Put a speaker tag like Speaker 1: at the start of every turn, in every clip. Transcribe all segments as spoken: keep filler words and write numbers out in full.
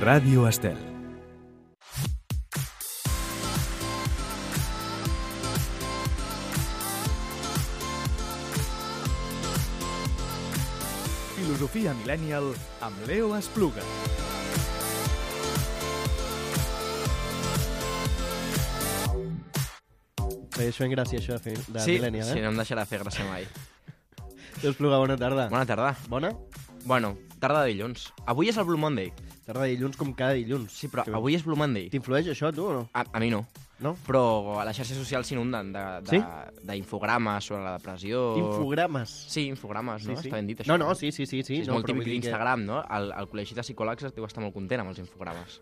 Speaker 1: Ràdio Estel. Filosofia Millennial amb Leo Espluga.
Speaker 2: Feia això en gràcia, això de, fer, de
Speaker 3: sí,
Speaker 2: Millennial, eh?
Speaker 3: Sí, no em deixarà fer gràcia mai.
Speaker 2: Leo Espluga, bona tarda.
Speaker 3: Bona tarda.
Speaker 2: Bona?
Speaker 3: Bueno, tarda de dilluns. Avui és el Blue Monday.
Speaker 2: Tarda de dilluns com cada dilluns.
Speaker 3: Sí, però
Speaker 2: Que...
Speaker 3: avui és Blue Monday.
Speaker 2: T'influeix això, tu, o no?
Speaker 3: A, a mi no.
Speaker 2: No?
Speaker 3: Però a les xarxes socials s'inunden
Speaker 2: Sí?
Speaker 3: d'infogrames sobre la depressió...
Speaker 2: Infogrames.
Speaker 3: Sí, infogrames, no?
Speaker 2: Sí, sí.
Speaker 3: Està ben dit, això.
Speaker 2: No, no, sí, sí, sí. sí,
Speaker 3: és
Speaker 2: no,
Speaker 3: molt
Speaker 2: però
Speaker 3: típic
Speaker 2: vull dir que-
Speaker 3: d'Instagram, no? El, el col·legi de psicòlegs deu estar molt content amb els infogrames.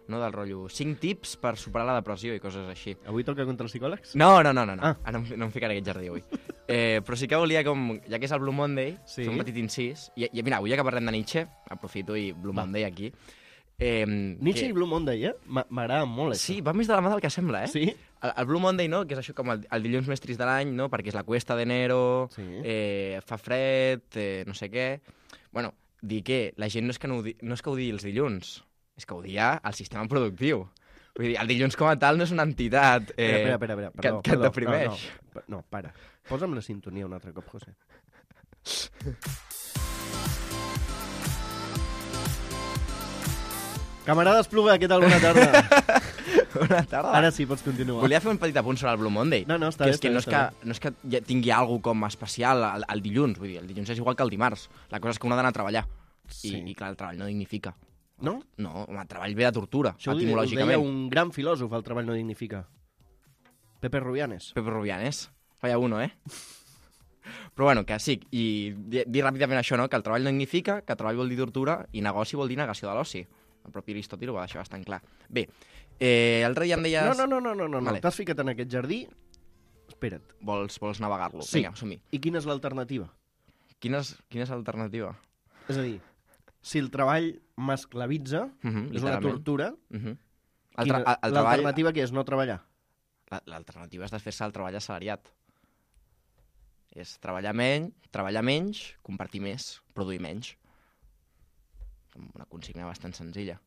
Speaker 3: No? Del rotllo, cinc tips per superar la depressió i coses així.
Speaker 2: Avui toca contra els psicòlegs?
Speaker 3: No, no, no, no. no.
Speaker 2: Ah.
Speaker 3: Ah. No, em- no em ficaré aquest jardí avui. Eh, però sí que volia, com, ja que és el Blue Monday,
Speaker 2: Sí.
Speaker 3: fer un petit incís. I, i mira, avui ja que parlem de Nietzsche, aprofito i Blue
Speaker 2: Va.
Speaker 3: Monday aquí. Eh,
Speaker 2: Nietzsche
Speaker 3: que...
Speaker 2: i Blue Monday, eh? M'a- M'agrada molt, això.
Speaker 3: Sí, va més de la mà del que sembla, eh?
Speaker 2: Sí?
Speaker 3: El, el Blue Monday, no?, que és això com el, el dilluns més trist de l'any, no?, perquè és la cuesta d'enero,
Speaker 2: Sí.
Speaker 3: eh, fa fred, eh, no sé què... Bueno, dir que la gent no és que, no, ho di... no és que ho digui els dilluns, és que ho dia el sistema productiu. Vull dir, el dilluns com a tal no és una entitat eh,
Speaker 2: Espera, espera, espera.
Speaker 3: que,
Speaker 2: Perdó,
Speaker 3: que et
Speaker 2: perdó,
Speaker 3: deprimeix.
Speaker 2: No, no, no, para. Posa'm la sintonia un altre cop, José. Camarada Espluga, què tal? Bona tarda.
Speaker 3: Bona tarda.
Speaker 2: Ara sí, pots continuar.
Speaker 3: Volia fer un petit apunt sobre el Blue Monday.
Speaker 2: No, no, està
Speaker 3: que
Speaker 2: bé,
Speaker 3: és que
Speaker 2: està
Speaker 3: no,
Speaker 2: bé,
Speaker 3: és que,
Speaker 2: està
Speaker 3: no és que ja tingui alguna com especial el, el dilluns. Vull dir, el dilluns és igual que el dimarts. La cosa és que un ha d'anar a treballar.
Speaker 2: Sí.
Speaker 3: I, I clar, el treball no dignifica.
Speaker 2: No?
Speaker 3: No, home, el treball ve de tortura,
Speaker 2: Això ho, di- ho deia
Speaker 3: etimològicament.
Speaker 2: un gran filòsof, el treball no dignifica. Pepe Rubianes.
Speaker 3: Pepe Rubianes. Falla uno, eh? Però bueno, que sí, i di- dir ràpidament això, no?, que el treball no dignifica, que treball vol dir tortura i negoci vol dir negació de l'oci. El propi Aristòtil ho va deixar bastant clar. Bé, eh, l'altre dia em deies...
Speaker 2: No, no, no, no, no, no.
Speaker 3: Vale.
Speaker 2: T'has ficat en aquest jardí? Espera't.
Speaker 3: Vols, vols navegar-lo?
Speaker 2: Sí.
Speaker 3: Vinga, som-hi.
Speaker 2: I quina és l'alternativa?
Speaker 3: Quina és, quina és l'alternativa?
Speaker 2: És a dir, si el treball m'esclavitza,
Speaker 3: Mhm,
Speaker 2: és una
Speaker 3: literalment.
Speaker 2: tortura,
Speaker 3: Mhm. El,
Speaker 2: quina-
Speaker 3: tra el, el treball...
Speaker 2: l'alternativa què és? No treballar?
Speaker 3: La- L'alternativa és desfer-se el treball assalariat. És treballar menys, treballar menys, compartir més, produir menys. Una consigna bastant senzilla.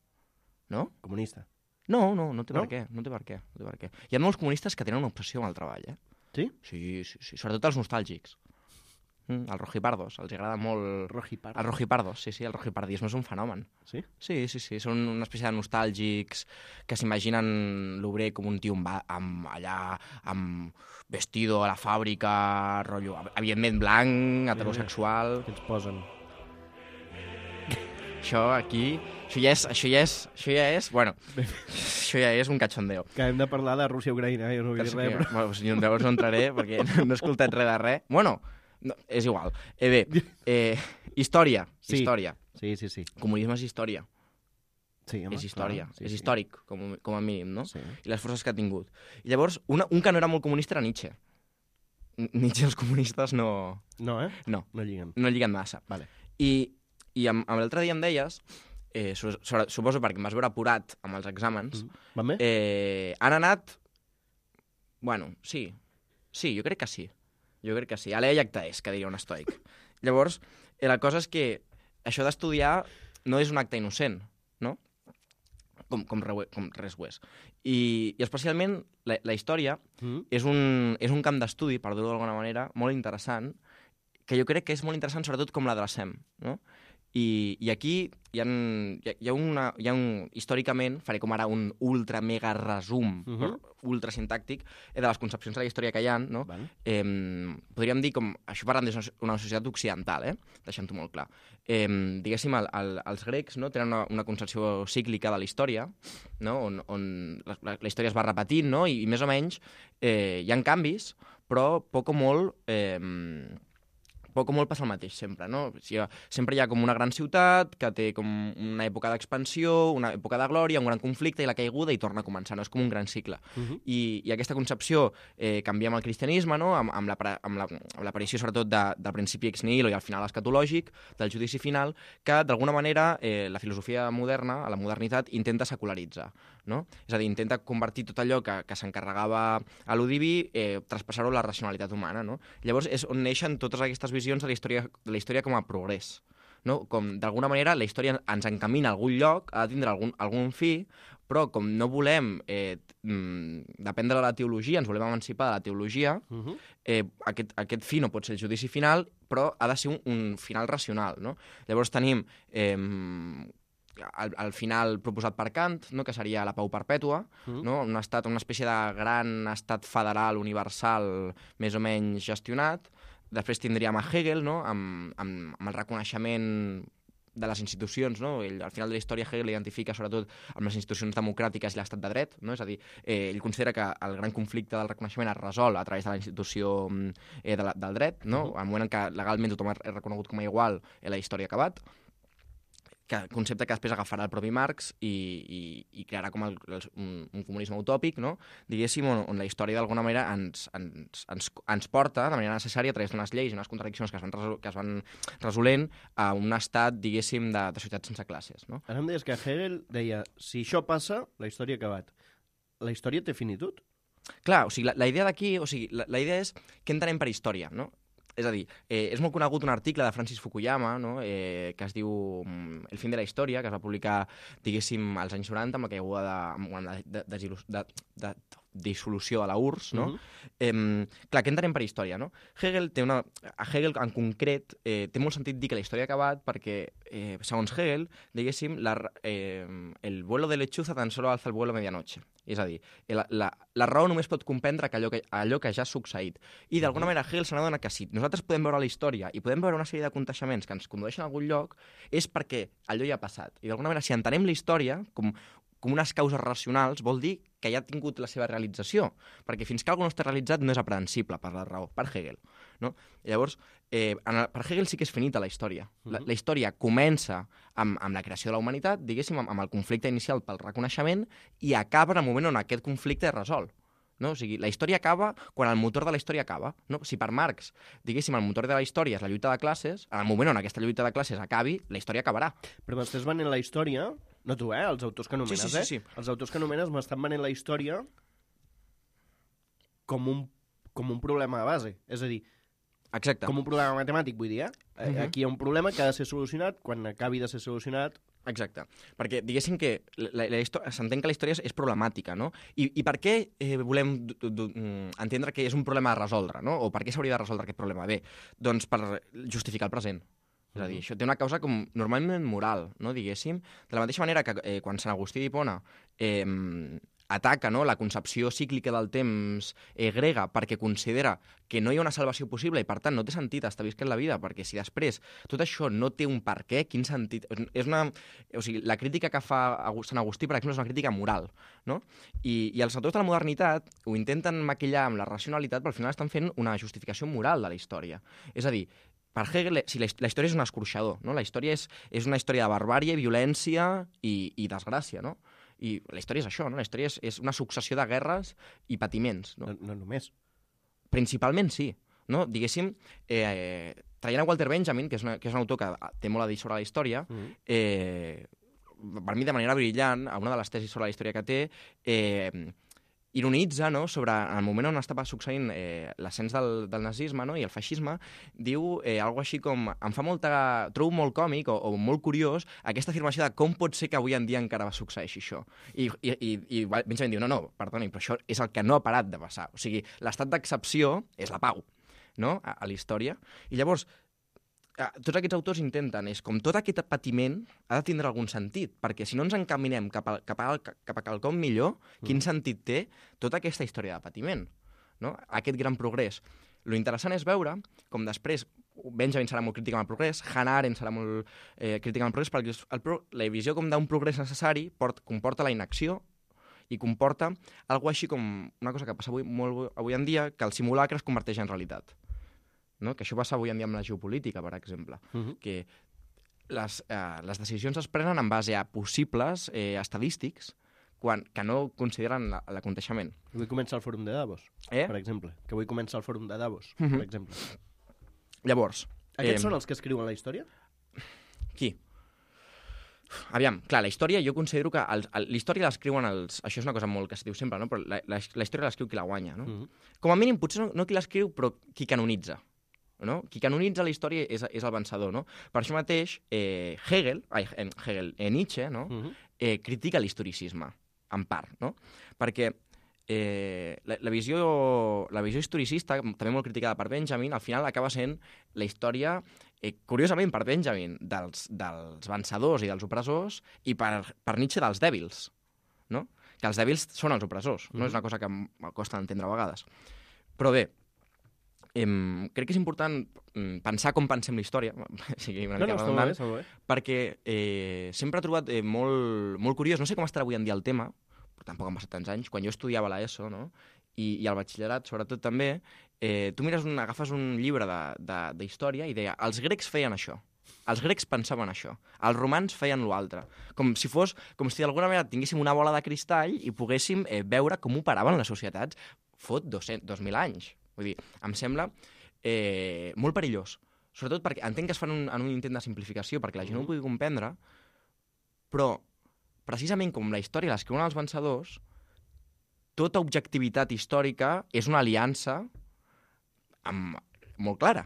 Speaker 3: No?
Speaker 2: Comunista.
Speaker 3: No, no, no té
Speaker 2: No?
Speaker 3: per què, no té per què, no té per què. Hi ha molts comunistes que tenen una obsessió amb el treball, eh?
Speaker 2: Sí?
Speaker 3: Sí, sí, sí, sobretot els nostàlgics. Mm, els rojipardos, els agrada molt...
Speaker 2: Rojipar.
Speaker 3: Els rojipardos, sí, sí, el rojipardisme és un fenomen.
Speaker 2: Sí?
Speaker 3: Sí, sí, sí, són una espècie de nostàlgics que s'imaginen l'obrer com un tio amb, ba- amb allà, amb vestido a la fàbrica, rotllo, evidentment blanc, heterosexual...
Speaker 2: Què ens posen?
Speaker 3: Això aquí... Això ja és... Això ja és... Això ja és... Bueno, això ja és un cachondeo.
Speaker 2: Que hem de parlar de Rússia-Ucraïna, jo no vull dir res, però...
Speaker 3: Bueno, pues, llavors no entraré perquè no he escoltat res de res. Bueno, no, és igual. Eh, bé, eh, història.
Speaker 2: Sí.
Speaker 3: Història.
Speaker 2: Sí, sí, sí.
Speaker 3: Comunisme és història.
Speaker 2: sí home,
Speaker 3: és història.
Speaker 2: clar, sí,
Speaker 3: és
Speaker 2: sí.
Speaker 3: històric, com, com a mínim, no?
Speaker 2: Sí.
Speaker 3: I les forces que ha tingut. I llavors, una, un que no era molt comunista era Nietzsche. N- Nietzsche i els comunistes no,
Speaker 2: No, eh?
Speaker 3: no,
Speaker 2: No lliguen.
Speaker 3: no lliguen massa.
Speaker 2: Vale.
Speaker 3: I, i amb, amb l'altre dia em deies, eh, so, so, suposo perquè em vas veure apurat amb els exàmens,
Speaker 2: Va bé?
Speaker 3: eh, han anat... Bueno, sí. Sí, jo crec que sí. Jo crec que sí. Alea iacta és, que diria un estoic. Llavors, eh, la cosa és que això d'estudiar no és un acte innocent, no? Com, com, re, com res ho és. I, i especialment la, la història
Speaker 2: Mm.
Speaker 3: és un, és un camp d'estudi, per dir-ho d'alguna manera, molt interessant, que jo crec que és molt interessant sobretot com la de la S E M, no? I, i aquí hi ha, hi ha, hi ha, una, hi ha un... Històricament, faré com ara un ultra mega resum,
Speaker 2: Mhm.
Speaker 3: uh -huh. ultra sintàctic, eh, de les concepcions de la història que hi ha, no?
Speaker 2: Vale.
Speaker 3: Eh, podríem dir com... Això parlant d'una societat occidental, eh? Deixant-ho molt clar. Eh, diguéssim, el, el, els grecs no, tenen una, una concepció cíclica de la història, no? on, on la, la, la història es va repetint, no? I, i més o menys eh, hi ha canvis, però poc o molt... Eh, poc o molt passa el mateix sempre, no? O sigui, sempre hi ha com una gran ciutat que té com una època d'expansió, una època de glòria, un gran conflicte i la caiguda i torna a començar, no? És com un gran cicle.
Speaker 2: Uh -huh.
Speaker 3: I, i aquesta concepció eh, canvia amb el cristianisme, no? amb, amb l'aparició la, amb la, sobretot de, del principi ex nihilo i al final escatològic, del judici final, que d'alguna manera eh, la filosofia moderna, a la modernitat, intenta secularitzar. No? És a dir, intenta convertir tot allò que, que s'encarregava a lo diví, eh, traspassar-ho a la racionalitat humana. No? Llavors és on neixen totes aquestes visions de la història, de la història com a progrés. no? Com, d'alguna manera, la història ens encamina a algun lloc, ha de tindre algun, algun fi, però com no volem eh, dependre de la teologia, ens volem emancipar de la teologia,
Speaker 2: Uh-huh.
Speaker 3: eh, aquest, aquest fi no pot ser el judici final, però ha de ser un, un final racional, no? Llavors tenim eh, el, el final proposat per Kant, no? Que seria la pau perpètua,
Speaker 2: Uh-huh.
Speaker 3: no? Un estat, una espècie de gran estat federal universal més o menys gestionat. Després tindríem a Hegel, no? amb, amb, amb el reconeixement de les institucions, no? Ell, al final de la història Hegel identifica sobretot amb les institucions democràtiques i l'estat de dret, no? És a dir, eh, ell considera que el gran conflicte del reconeixement es resol a través de la institució eh, de la, del dret, no?
Speaker 2: Uh-huh.
Speaker 3: Al moment en què legalment tothom és reconegut com a igual, eh, la història ha acabat, que concepte que després agafarà el propi Marx i, i, i crearà com el, el, un, un comunisme utòpic, no? Diguéssim, on, on la història d'alguna manera ens, ens, ens, ens porta de manera necessària a través d'unes lleis i unes contradiccions que es van, resol, que es van resolent a un estat, diguéssim, de, de societat sense classes, no?
Speaker 2: Ara em deies que Hegel deia, si això passa, la història ha acabat. La història té finitud?
Speaker 3: Clar, o sigui, la, la idea d'aquí, o sigui, la, la idea és què entenem per història, no? És a dir, eh, és molt conegut un article de Francis Fukuyama, no? eh, que es diu mm, El fin de la història, que es va publicar, diguéssim, als anys noranta, amb la caiguda de, amb la de, de, de, de, de dissolució de la U R S S, no?
Speaker 2: Uh-huh.
Speaker 3: eh, clar, què entenem per història, no? Hegel té una... A Hegel, en concret, eh, té molt sentit dir que la història ha acabat perquè, eh, segons Hegel, diguéssim, la, eh, el vuelo de lechuza tan solo alza el vuelo a medianoche. És a dir, la, la, la raó només pot comprendre que allò, que allò que ja ha succeït. I d'alguna manera Hegel se n'adona que si nosaltres podem veure la història i podem veure una sèrie d'aconteixements que ens condueixen a algun lloc, és perquè allò ja ha passat. I d'alguna manera, si entenem la història com, com unes causes racionals, vol dir que ja ha tingut la seva realització. Perquè fins que alguna no està realitzat no és aprehensible per la raó, per Hegel. No? I llavors, eh, en el, per Hegel sí que és finita la història. La, la història comença amb, amb la creació de la humanitat, diguéssim, amb, amb el conflicte inicial pel reconeixement, i acaba en el moment on aquest conflicte es resol. No? O sigui, la història acaba quan el motor de la història acaba. No? Si per Marx, diguéssim, el motor de la història és la lluita de classes, en el moment on aquesta lluita de classes acabi, la història acabarà.
Speaker 2: Però m'estàs venent la història... No tu, eh? Els autors que anomenes,
Speaker 3: Sí, sí, sí, sí.
Speaker 2: eh? Els autors que anomenes m'estan venent la història com un, com un problema de base. És a dir,
Speaker 3: Exacte.
Speaker 2: com un problema matemàtic, vull dir, eh?
Speaker 3: Uh-huh.
Speaker 2: Aquí hi ha un problema que ha de ser solucionat. Quan acabi de ser solucionat...
Speaker 3: Exacte. Perquè diguéssim que la, la s'entén que la història és, és problemàtica, no? I, i per què eh, volem du, du, entendre que és un problema a resoldre, no? O per què s'hauria de resoldre aquest problema? Bé, doncs per justificar el present. És a dir, això té una causa com normalment moral, no, diguéssim. De la mateixa manera que eh, quan Sant Agustí d'Hipona eh, ataca, no, la concepció cíclica del temps eh, grega perquè considera que no hi ha una salvació possible i, per tant, no té sentit estar visquent la vida, perquè si després tot això no té un per què, quin sentit... És una... O sigui, la crítica que fa Sant Agustí, per exemple, és una crítica moral, no? I, i els autors de la modernitat ho intenten maquillar amb la racionalitat, però al final estan fent una justificació moral de la història. És a dir, per Hegel, si la, la història és un escorxador, no? La història és, és una història de barbàrie, violència i, i desgràcia, no? I la història és això, no? La història és, és una successió de guerres i patiments, no?
Speaker 2: No, no només.
Speaker 3: Principalment sí, no? Diguéssim, eh, traient a Walter Benjamin, que és, una, que és un autor que té molt a dir sobre la història,
Speaker 2: Mm-hmm.
Speaker 3: eh, per mi de manera brillant, a una de les tesis sobre la història que té, eh, ironitza, no?, sobre el moment on estava succeint eh, l'ascens del, del nazisme, no?, i el feixisme, diu eh, alguna així com... Em fa molta... Trobo molt còmic o, o molt curiós aquesta afirmació de com pot ser que avui en dia encara va succeeixi això. I, i, i, i Benjamin diu, no, no, perdoni, però això és el que no ha parat de passar. O sigui, l'estat d'excepció és la pau, no?, a, a la història. I llavors, tots aquests autors intenten, és com tot aquest patiment ha de tindre algun sentit, perquè si no ens encaminem cap a, cap a, cap a quelcom millor, quin
Speaker 2: Mm.
Speaker 3: sentit té tota aquesta història de patiment, no? Aquest gran progrés. Lo interessant és veure com després Benjamin serà molt crític amb el progrés, Hannah Arendt serà molt eh, crític amb el progrés, perquè el pro la visió com d'un progrés necessari port comporta la inacció i comporta alguna així com una cosa que passa avui, molt avui en dia, que el simulacre es converteix en realitat. No? Que això passa avui en dia amb la geopolítica, per exemple,
Speaker 2: Uh-huh.
Speaker 3: que les, eh, les decisions es prenen en base a possibles eh, estadístics quan, que no consideren la- l'aconteixement.
Speaker 2: Avui comença el fòrum de Davos,
Speaker 3: Eh?
Speaker 2: per exemple. Que avui comença el fòrum de Davos,
Speaker 3: Mhm.
Speaker 2: per exemple.
Speaker 3: Llavors...
Speaker 2: Aquests
Speaker 3: eh,
Speaker 2: són els que escriuen la història?
Speaker 3: Qui? Aviam, clar, la història, jo considero que els, el, la història l'escriuen els... Això és una cosa molt que es diu sempre, no? Però la, la, la història l'escriu qui la guanya, no?
Speaker 2: Mhm.
Speaker 3: Com a mínim, potser no, no qui l'escriu, però qui canonitza. no? Qui canonitza la història és, és el vencedor, no? Per això mateix, eh, Hegel, ai, Hegel eh, Nietzsche, no? Uh-huh. eh, critica l'historicisme, en part, no? Perquè eh, la, la, visió, la visió historicista, també molt criticada per Benjamin, al final acaba sent la història, eh, curiosament per Benjamin, dels, dels vencedors i dels opressors, i per, per Nietzsche dels dèbils, no? Que els dèbils són els opressors, no? Uh-huh. És una cosa que em costa d'entendre a vegades. Però bé, Em, crec que és important pensar com pensem la història, sigui una
Speaker 2: no,
Speaker 3: mica
Speaker 2: no,
Speaker 3: redundant,
Speaker 2: està bé,
Speaker 3: perquè eh, sempre he trobat eh, molt, molt curiós, no sé com estarà avui en dia el tema, però tampoc han passat tants anys, quan jo estudiava l'ESO, no? I, i al batxillerat, sobretot també, eh, tu mires un, agafes un llibre d'història i deia, els grecs feien això, els grecs pensaven això, els romans feien l'altre, com si fos, com si d'alguna manera tinguéssim una bola de cristall i poguéssim eh, veure com operaven les societats fot dos mil anys. Vull dir, em sembla eh, molt perillós. Sobretot perquè entenc que es fan un, en un intent de simplificació perquè la gent no ho pugui comprendre, però precisament com la història l'escriuen els vencedors, tota objectivitat històrica és una aliança amb, molt clara.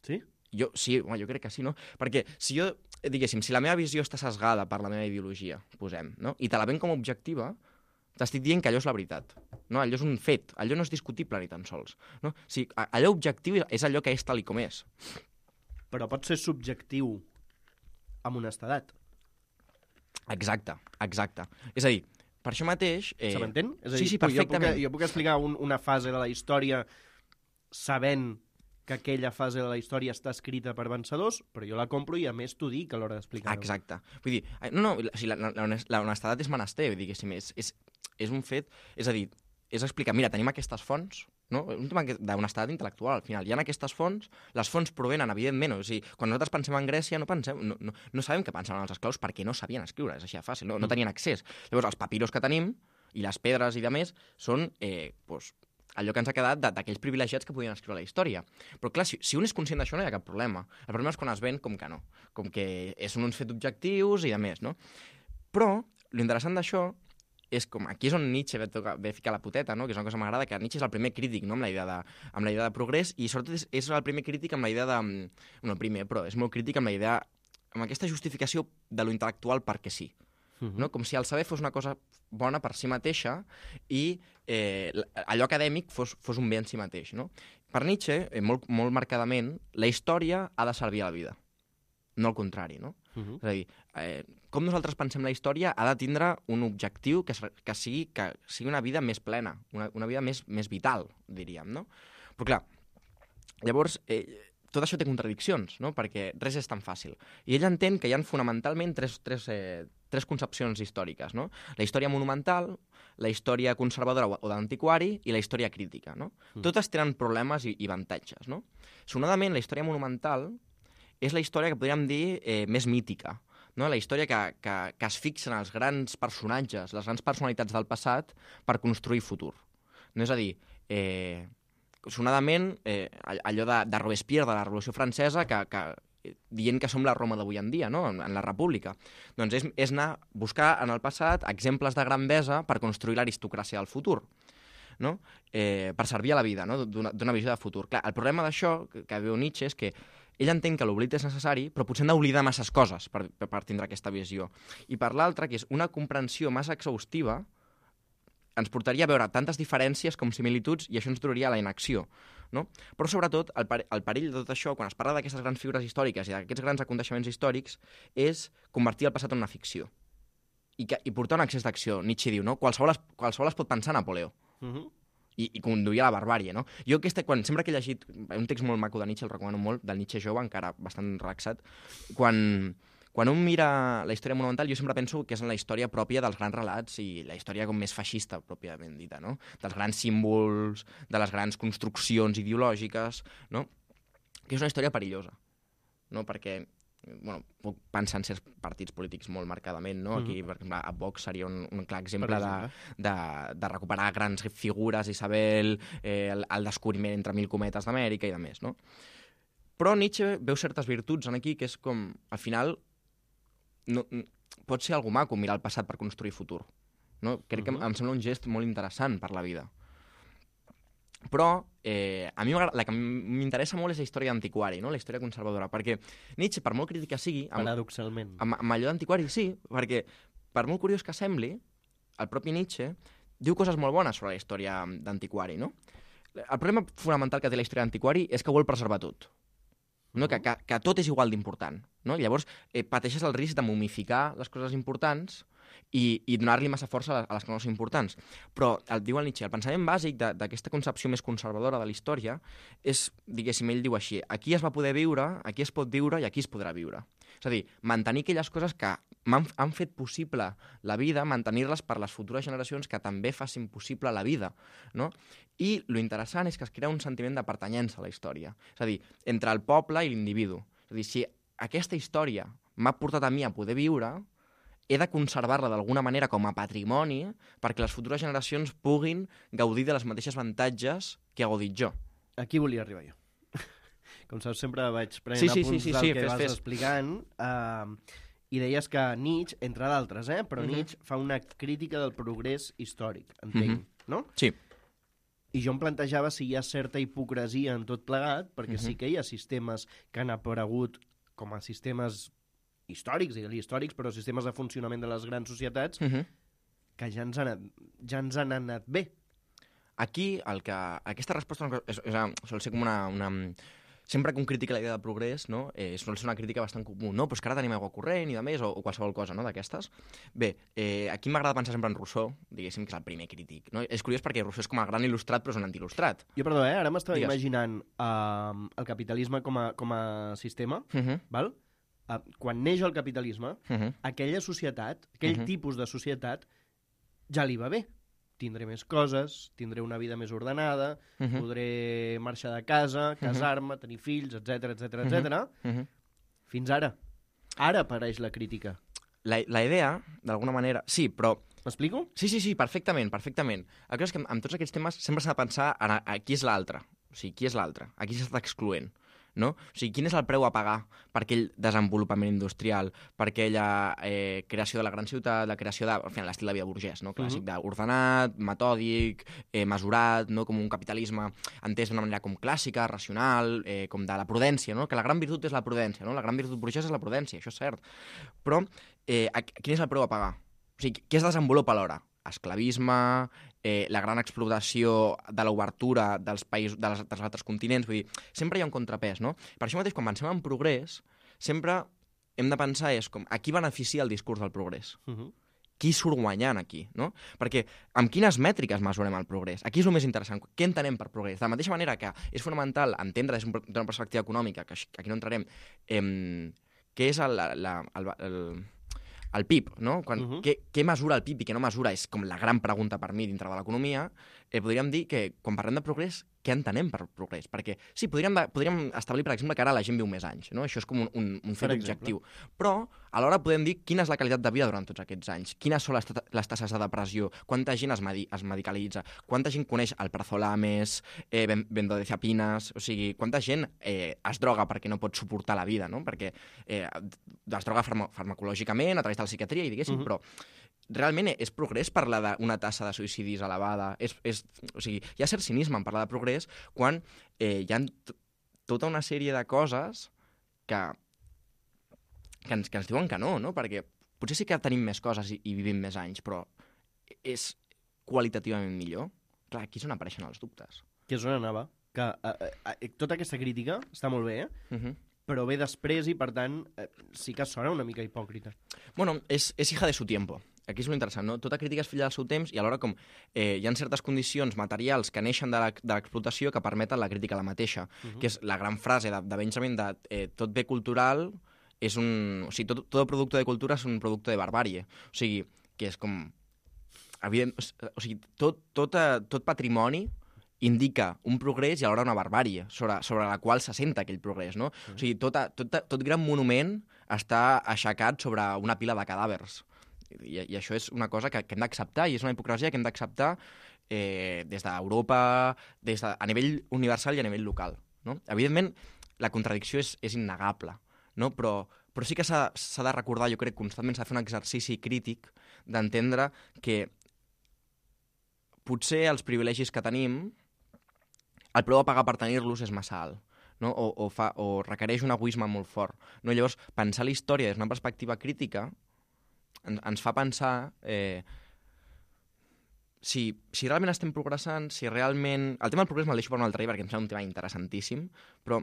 Speaker 2: Sí?
Speaker 3: Jo, sí, home, jo crec que sí, no? Perquè si jo, diguéssim, si la meva visió està sesgada per la meva ideologia, posem, no? I te la ven com a objectiva, t'estic dient que allò és la veritat. No? Allò és un fet, allò no és discutible ni tan sols. No? O sigui, allò objectiu és allò que és tal i com és.
Speaker 2: Però pot ser subjectiu amb honestedat.
Speaker 3: Exacte, exacte. És a dir, per això mateix...
Speaker 2: Eh... Se m'entén? És a dir,
Speaker 3: sí, sí,
Speaker 2: perfectament. Jo puc, jo puc explicar un, una fase de la història sabent que aquella fase de la història està escrita per vencedors, però jo la compro i a més t'ho dic a l'hora d'explicar-ho.
Speaker 3: Exacte. Vull dir, no, no, o sigui, la, la, la honestedat és menester, diguéssim, és, és, és un fet, és a dir, és explicar, mira, tenim aquestes fonts, no? Un tema d'honestedat intel·lectual, al final. Hi ha aquestes fonts, les fonts provenen, evidentment, o sigui, quan nosaltres pensem en Grècia no, pensem, no, no, no sabem què pensaven els esclaus perquè no sabien escriure, és així de fàcil, no, no tenien accés. Llavors, els papiros que tenim, i les pedres i de més, són eh, doncs, allò que ens ha quedat d'aquells privilegiats que podien escriure la història. Però clar, si, si un és conscient d'això no hi ha cap problema. El problema és quan es ven com que no, com que són uns fets objectius i de més, no? Però, l'interessant d'això és com, aquí és on Nietzsche ve, tocar, ve ficar la puteta, no? Que és una cosa que m'agrada, que Nietzsche és el primer crític, no? amb, la idea de, amb la idea de progrés, i sobretot és, és el primer crític amb la idea de... No, el primer, però és molt crític amb la idea... amb aquesta justificació de lo intel·lectual perquè sí. Uh-huh. No? Com si el saber fos una cosa bona per si mateixa i eh, allò acadèmic fos, fos un bé en si mateix. No? Per Nietzsche, eh, molt, molt marcadament, la història ha de servir a la vida, no al contrari. No? Uh-huh. És a dir, eh, com nosaltres pensem la història ha de tindre un objectiu que, que, sigui, que sigui una vida més plena, una, una vida més, més vital, diríem. No? Però clar, llavors... Eh, tot això té contradiccions, no? Perquè res és tan fàcil. I ell entén que hi ha fonamentalment tres, tres, eh, tres concepcions històriques, no? La història monumental, la història conservadora o d'antiquari i la història crítica, no? Mm. Totes tenen problemes i, i avantatges, no? Sonadament, la història monumental és la història que podríem dir eh, més mítica, no? La història que, que, que es fixen els grans personatges, les grans personalitats del passat per construir futur. No és a dir... Eh, sonadament, eh, allò de, de Robespierre, de la Revolució Francesa, que, que, dient que som la Roma d'avui en dia, no? en, en la República. Doncs és, és anar a buscar en el passat exemples de grandesa per construir l'aristocràcia del futur, no? eh, per servir a la vida, no? d'una visió de futur. Clar, el problema d'això, que, que veu Nietzsche, és que ell entén que l'oblit és necessari, però potser hem d'oblidar masses coses per, per, per tindre aquesta visió. I per l'altra, que és una comprensió massa exhaustiva, ens portaria a veure tantes diferències com similituds i això ens duraria a la inacció. No? Però sobretot, el, per el perill de tot això, quan es parla d'aquestes grans figures històriques i d'aquests grans aconteixements històrics, és convertir el passat en una ficció. I, que, i portar un excés d'acció. Nietzsche diu, no? Qualsevol es, qualsevol es pot pensar a Napoleó. Uh -huh. I, i conduir a la barbàrie, no? Jo aquesta, quan, sempre que he llegit un text molt maco de Nietzsche, el recomano molt, del Nietzsche jove, encara bastant relaxat, quan... Quan un mira la història monumental, jo sempre penso que és en la història pròpia dels grans relats i la història com més feixista, pròpiament dita, no? Dels grans símbols, de les grans construccions ideològiques, no? Que és una història perillosa, no? Perquè, bueno, puc pensar en certs partits polítics molt marcadament, no? Aquí, per exemple, a Vox seria un, un clar exemple de, de, de recuperar grans figures, Isabel, eh, el, el descobriment entre mil cometes d'Amèrica i de més, no? Però Nietzsche veu certes virtuts en aquí que és com, al final, no, pot ser algú maco mirar el passat per construir futur. No? Crec uh-huh. que em sembla un gest molt interessant per la vida. Però eh, a mi la que m'interessa molt és la història d'antiquari, no? La història conservadora, perquè Nietzsche, per molt crítica sigui... Amb,
Speaker 2: Paradoxalment.
Speaker 3: amb, amb allò d'antiquari, sí, perquè per molt curiós que sembli, el propi Nietzsche diu coses molt bones sobre la història d'antiquari, no? El problema fonamental que té la història d'antiquari és que vol preservar tot. No? Que, que, que tot és igual d'important. No? Llavors, eh, pateixes el risc de momificar les coses importants i, i donar-li massa força a les, a les que no són importants. Però, el, diu el Nietzsche, el pensament bàsic d'aquesta concepció més conservadora de la història és, diguéssim, ell diu així, aquí es va poder viure, aquí es pot viure i aquí es podrà viure. És a dir, mantenir aquelles coses que han, han fet possible la vida, mantenir-les per les futures generacions que també facin possible la vida, no? I lo interessant és que es crea un sentiment de pertanyença a la història. És a dir, entre el poble i l'individu. És a dir, si aquesta història m'ha portat a mi a poder viure, he de conservar-la d'alguna manera com a patrimoni perquè les futures generacions puguin gaudir de les mateixes avantatges que he gaudit jo.
Speaker 2: Aquí volia arribar jo. Com saps, sempre vaig prenent
Speaker 3: sí, sí,
Speaker 2: apunts
Speaker 3: sí, sí,
Speaker 2: del
Speaker 3: sí,
Speaker 2: que
Speaker 3: fes,
Speaker 2: vas
Speaker 3: fes.
Speaker 2: explicant, uh, i deies que Nietzsche, entre d'altres, eh, però
Speaker 3: Mhm.
Speaker 2: Nietzsche fa una crítica del progrés històric, entenc,
Speaker 3: Mhm.
Speaker 2: no?
Speaker 3: Sí.
Speaker 2: I jo em plantejava si hi ha certa hipocresia en tot plegat, perquè
Speaker 3: Mhm.
Speaker 2: sí que hi ha sistemes que han aparegut com a sistemes històrics, digue-li històrics, però sistemes de funcionament de les grans societats
Speaker 3: Uh -huh.
Speaker 2: que ja ens han, anat- ja ens han anat bé.
Speaker 3: Aquí, el que, aquesta resposta és, és, sol ser com una, una... Sempre que un critica la idea de progrés, no? eh, sol ser una crítica bastant comú, no? Però és que ara tenim aigua corrent i de més, o, o qualsevol cosa, no?, d'aquestes. Bé, eh, aquí m'agrada pensar sempre en Rousseau, diguéssim que és el primer crític, no? És curiós perquè Rousseau és com el gran il·lustrat, però és un anti-il·lustrat.
Speaker 2: Jo, perdó, eh? Ara m'estava
Speaker 3: Digues.
Speaker 2: imaginant uh, el capitalisme com a, com a sistema,
Speaker 3: Uh -huh.
Speaker 2: val? Uh, quan neix el capitalisme,
Speaker 3: Uh -huh.
Speaker 2: aquella societat, aquell
Speaker 3: Mhm.
Speaker 2: tipus de societat, ja li va bé. Tindré més coses, tindré una vida més ordenada,
Speaker 3: Uh -huh.
Speaker 2: podré marxar de casa, casar-me, tenir fills, etc etc etc.
Speaker 3: Uh -huh.
Speaker 2: Fins ara. Ara apareix la crítica.
Speaker 3: La, la idea, d'alguna manera... Sí, però...
Speaker 2: M'explico?
Speaker 3: Sí, sí, sí, perfectament, perfectament. El que és que amb, amb tots aquests temes sempre s'ha de pensar en a, a qui és l'altre. O sigui, qui és l'altre? A qui s'està excloent? No? O sigui, quin és el preu a pagar per aquell desenvolupament industrial, per aquella eh, creació de la gran ciutat, la creació de, al final, l'estil de vida burgès, no? Clàssic,
Speaker 2: Mhm.
Speaker 3: d'ordenat, metòdic, eh, mesurat, no? Com un capitalisme entès d'una manera com clàssica, racional, eh, com de la prudència, no? Que la gran virtut és la prudència, no? La gran virtut burgesa és la prudència, això és cert. Però eh, a, quin és el preu a pagar? O sigui, què es desenvolupa alhora? Esclavisme, eh, la gran explotació de l'obertura dels països, de les, dels altres continents, vull dir, sempre hi ha un contrapès, no? Per això mateix, quan pensem en progrés, sempre hem de pensar és com, a qui beneficia el discurs del progrés?
Speaker 2: Uh -huh.
Speaker 3: Qui surt guanyant aquí, no? Perquè amb quines mètriques mesurem el progrés? Aquí és el més interessant. Què entenem per progrés? De la mateixa manera que és fonamental entendre des d'una perspectiva econòmica, que aquí no entrarem, eh, què és el, la, el, el, el P I B, no? Quan,
Speaker 2: Uh-huh.
Speaker 3: què, què mesura el P I B i què no mesura és com la gran pregunta per mi dintre de l'economia. Eh, podríem dir que quan parlem de progrés, què entenem per progrés? Perquè sí, podríem, de, podríem establir, per exemple, que ara la gent viu més anys, no? Això és com un, un, un fet
Speaker 2: Per exemple.
Speaker 3: objectiu. Però alhora podem dir quina és la qualitat de vida durant tots aquests anys, quines són les, les tasses de depressió, quanta gent es, medi es medicalitza, quanta gent coneix el Prazolames, eh, benzodiazepines, o sigui, quanta gent eh, es droga perquè no pot suportar la vida, no? Perquè eh, es droga farma farmacològicament a través de la psiquiatria i diguéssim,
Speaker 2: Mhm.
Speaker 3: però realment és progrés parlar d'una tassa de suïcidis elevada? És, és, o sigui, hi ha cert cinisme en parlar de progrés quan eh, hi ha tota una sèrie de coses que, que, ens, que ens diuen que no, no? Perquè potser sí que tenim més coses i, i vivim més anys, però és qualitativament millor? Clar, aquí és on apareixen els dubtes.
Speaker 2: Que és on anava. Que eh, eh, tota aquesta crítica està molt bé, eh?
Speaker 3: Uh -huh.
Speaker 2: però ve després i, per tant, eh, sí que sona una mica hipòcrita.
Speaker 3: Bueno, és, és hija de su tiempo. Aquí és l'interessant, no? Tota crítica és filla del seu temps i alhora com eh, hi ha certes condicions materials que neixen de l'explotació que permeten la crítica a la mateixa, uh -huh. que és la gran frase de, de Benjamin de eh, tot bé cultural és un... O sigui, tot, tot producte de cultura és un producte de barbàrie. O sigui, que és com... Evident, o sigui, tot, tot, tot patrimoni indica un progrés i alhora una barbàrie sobre, sobre la qual s'assenta aquell progrés, no? Mm. O sigui, tot, tot, tot gran monument està aixecat sobre una pila de cadàvers. I, i això és una cosa que, que hem d'acceptar i és una hipocresia que hem d'acceptar eh, des d'Europa, des de, a nivell universal i a nivell local, no? Evidentment, la contradicció és, és innegable, no? Però, però sí que s'ha de recordar, jo crec, constantment s'ha de fer un exercici crític d'entendre que potser els privilegis que tenim el preu a pagar per tenir-los és massa alt. No? O, o, fa, o requereix un egoisme molt fort. No? Llavors, pensar la història des d'una perspectiva crítica ens, ens fa pensar eh, si, si realment estem progressant, si realment... El tema del progrés me'l deixo per un altre dia perquè em sembla un tema interessantíssim, però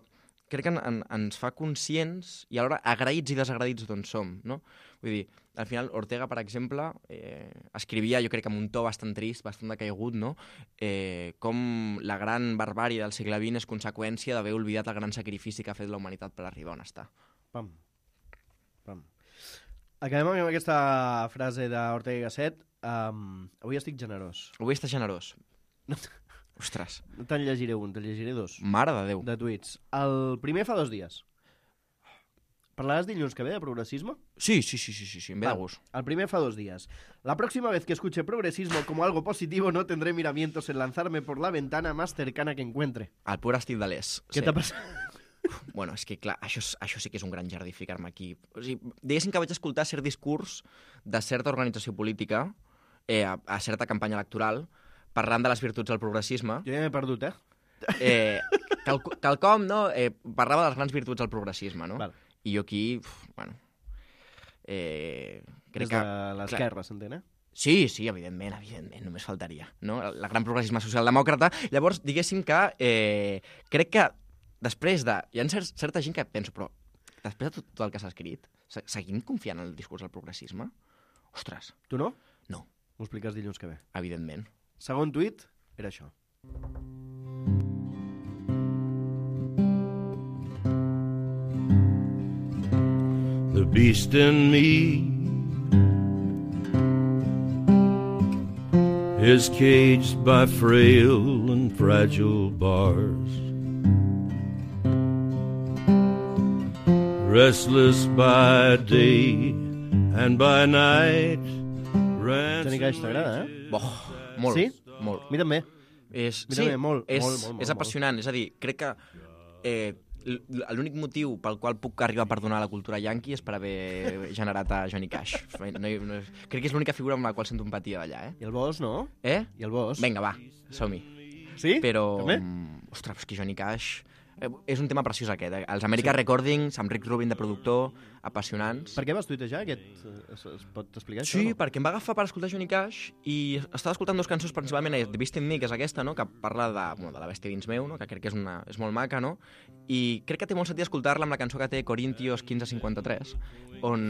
Speaker 3: crec que en, en, ens fa conscients i alhora agraïts i desagraïts d'on som. No? Vull dir, al final, Ortega, per exemple, eh, escrivia, jo crec que amb un to bastant trist, bastant decaigut, no? eh, com la gran barbàrie del segle vint és conseqüència d'haver oblidat el gran sacrifici que ha fet la humanitat per arribar on està.
Speaker 2: Pam. Pam. Acabem amb aquesta frase d'Ortega i Gasset. Um, avui estic generós.
Speaker 3: Avui estàs generós. Ostres.
Speaker 2: No te'n llegiré un, te'n llegiré dos.
Speaker 3: Mare de Déu.
Speaker 2: De tuits. El primer fa dos dies. ¿Parlarás dilluns que ve de progresismo?
Speaker 3: Sí, sí, sí, sí, sí, sí, me da gusto.
Speaker 2: El primer fa dos días. La próxima vez que escuche progresismo como algo positivo no tendré miramientos en lanzarme por la ventana más cercana que encuentre.
Speaker 3: El pur estil de l'Es.
Speaker 2: Què
Speaker 3: sí.
Speaker 2: t'ha passat?
Speaker 3: Bueno, és que clar, això, això sí que és un gran jardí ficar-me aquí. O sigui, diguéssim que vaig escoltar cert discurs de certa organització política eh, a, a certa campanya electoral parlant de les virtuts del progressisme.
Speaker 2: Jo ja m'he perdut, eh?
Speaker 3: eh cal, calcom, no? Eh, parlava de les grans virtuts del progressisme, no?
Speaker 2: Val.
Speaker 3: I jo aquí, uf, bueno... Eh, crec
Speaker 2: Des
Speaker 3: que...
Speaker 2: de l'esquerra, s'entén, eh?
Speaker 3: Sí, sí, evidentment, evidentment, només faltaria. No? El, el gran progressisme socialdemòcrata. Llavors, diguéssim que eh, crec que després de... Hi ha cer certa gent que penso, però després de tot, tot el que s'ha escrit, se seguim confiant en el discurs del progressisme? Ostres.
Speaker 2: Tu no?
Speaker 3: No.
Speaker 2: M'ho expliques dilluns que ve.
Speaker 3: Evidentment.
Speaker 2: Segon tuit era això.
Speaker 4: The beast in me is caged by frail and fragile bars, restless by day and by night.
Speaker 2: Johnny Cash t'agrada, eh?
Speaker 3: Boh, molt,
Speaker 2: Sí?
Speaker 3: molt.
Speaker 2: A mi també.
Speaker 3: És,
Speaker 2: Mi
Speaker 3: sí,
Speaker 2: també, molt,
Speaker 3: és,
Speaker 2: molt, molt,
Speaker 3: és
Speaker 2: molt,
Speaker 3: apassionant. És a dir, crec que eh, l'únic motiu pel qual puc arribar a perdonar la cultura yankee és per haver generat a Johnny Cash. No, no, crec que és l'única figura amb la qual sento empatia d'allà, eh?
Speaker 2: I el Bosch, no?
Speaker 3: Eh?
Speaker 2: I el Bosch.
Speaker 3: Vinga, va, som-hi.
Speaker 2: Sí?
Speaker 3: Però,
Speaker 2: També?
Speaker 3: mm, ostres, és que Johnny Cash... Eh, és un tema preciós aquest. Eh? Els America sí. Recordings, amb Rick Rubin de productor, apassionants.
Speaker 2: Per què vas tuitejar aquest? Es, es pot explicar
Speaker 3: Sí,
Speaker 2: això? No?
Speaker 3: perquè em va agafar per escoltar Johnny Cash i estava escoltant dues cançons, principalment The Beast in Me, que és aquesta, no? Que parla de, bueno, de la bèstia dins meu, no? Que crec que és, una, és molt maca, no? I crec que té molt sentit escoltar-la amb la cançó que té Corintios quinze cinquanta-tres, on,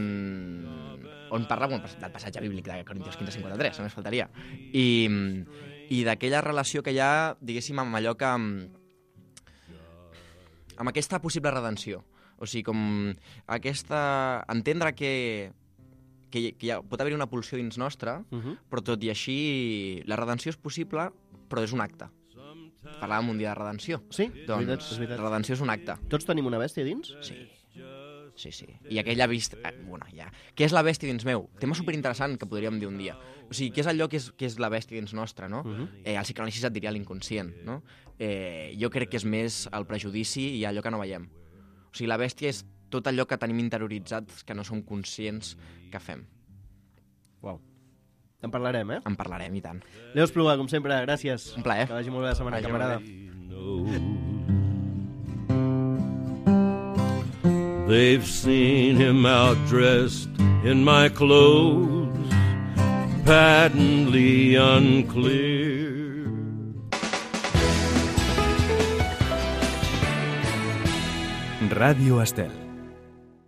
Speaker 3: on parla bueno, del passatge bíblic de Corintios quinze cinquanta-tres, només faltaria. I, i d'aquella relació que hi ha, diguéssim, amb allò que... amb aquesta possible redenció. O sigui, com aquesta... entendre que, que, que ha, pot haver-hi una pulsió dins nostra,
Speaker 2: Uh -huh.
Speaker 3: però tot i així la redenció és possible, però és un acte. Parlàvem un dia de redenció.
Speaker 2: Sí, és
Speaker 3: Doncs
Speaker 2: veritat, és veritat.
Speaker 3: redenció és un acte.
Speaker 2: Tots tenim una bèstia dins?
Speaker 3: Sí. Sí, sí. I aquella vist... Eh, bueno, ja. Què és la bèstia dins meu? Tema superinteressant que podríem dir un dia. O sigui, què és allò que és, que és la bèstia dins nostra, no?
Speaker 2: Uh -huh.
Speaker 3: eh, el psicoanalista et diria l'inconscient, no? Eh, jo crec que és més el prejudici i allò que no veiem. O sigui, la bèstia és tot allò que tenim interioritzat que no som conscients que fem.
Speaker 2: Uau. En parlarem, eh?
Speaker 3: En parlarem, i tant.
Speaker 2: Leo Espluga, com sempre, gràcies.
Speaker 3: Un plaer.
Speaker 2: Que vagi molt bé la setmana,
Speaker 3: Vagi
Speaker 2: camarada.
Speaker 4: They've seen him outdressed in my clothes, patently unclear.
Speaker 1: Ràdio Estel.